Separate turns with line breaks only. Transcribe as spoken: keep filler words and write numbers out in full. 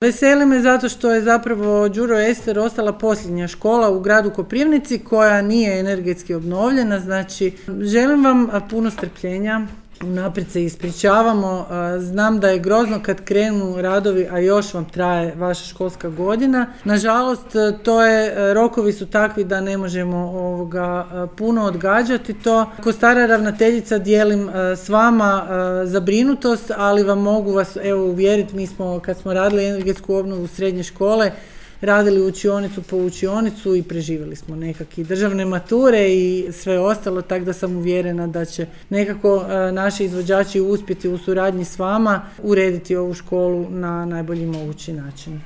Veseli me zato što je zapravo Đuro Ester ostala posljednja škola u gradu Koprivnici koja nije energetski obnovljena. Znači, želim vam puno strpljenja, unaprijed se ispričavamo. Znam da je grozno kad krenu radovi, a još vam traje vaša školska godina. Nažalost, to je, rokovi su takvi da ne možemo ovoga puno odgađati to. Ko stara ravnateljica dijelim s vama zabrinutost, ali vam mogu vas evo uvjeriti, mi smo kad smo radili energetsku obnovu srednje škole, radili učionicu po učionicu i preživjeli smo nekakve državne mature i sve ostalo, tako da sam uvjerena da će nekako naši izvođači uspjeti u suradnji s vama urediti ovu školu na najbolji mogući način.